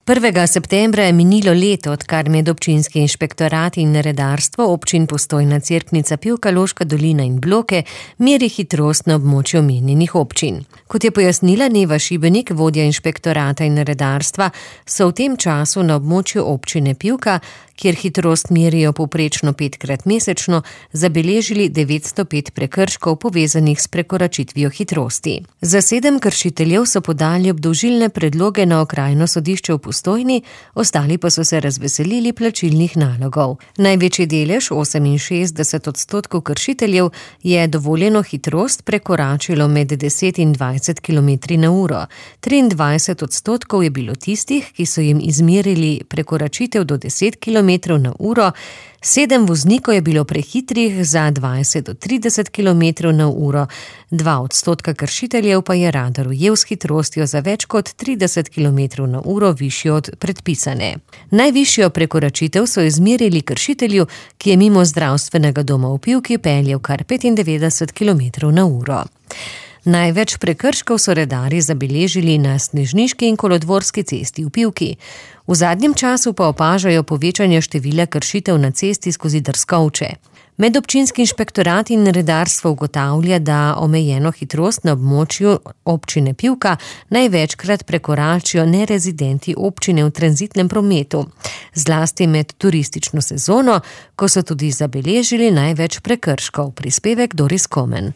1. septembra je minilo leto, odkar medobčinski inšpektorat in redarstvo občin Postojna, Cerknica, Pivka, Loška dolina in Bloke meri hitrost na območju omenjenih občin. Kot je pojasnila Neva Šibenik, vodja inšpektorata in redarstva, so v tem času na območju občine Pivka, kjer hitrost merijo povprečno 5-krat mesečno, zabeležili 905 prekrškov povezanih s prekoračitvijo hitrosti. Za 7 kršiteljev so podali obdolžilne predloge na okrajno sodišče v Postojni, ostali pa so se razveselili plačilnih nalogov. Največji delež, 68% kršiteljev, je dovoljeno hitrost prekoračilo med 10 in 20 km/h. 23% je bilo tistih, ki so jim izmerili prekoračitev do 10 km/h, 7 voznikov je bilo prehitrih za 20 do 30 km/h, 2% kršiteljev pa je radar ujel s hitrostjo za več kot 30 km/h višjo od predpisane. Najvišjo prekoračitev so izmerili kršitelju, ki je mimo zdravstvenega doma v Pivki peljal kar 95 km/h. Največ prekrškov so redarji zabeležili na Snežniški in Kolodvorski cesti v Pivki. V zadnjem času pa opažajo povečanje števila kršitev na cesti skozi Drskovče. Medobčinski inšpektorat in redarstvo ugotavlja, da omejeno hitrost na območju občine Pivka največkrat prekoračijo nerezidenti občine v tranzitnem prometu, zlasti med turistično sezono, ko so tudi zabeležili največ prekrškov. Prispevek Doris Komen.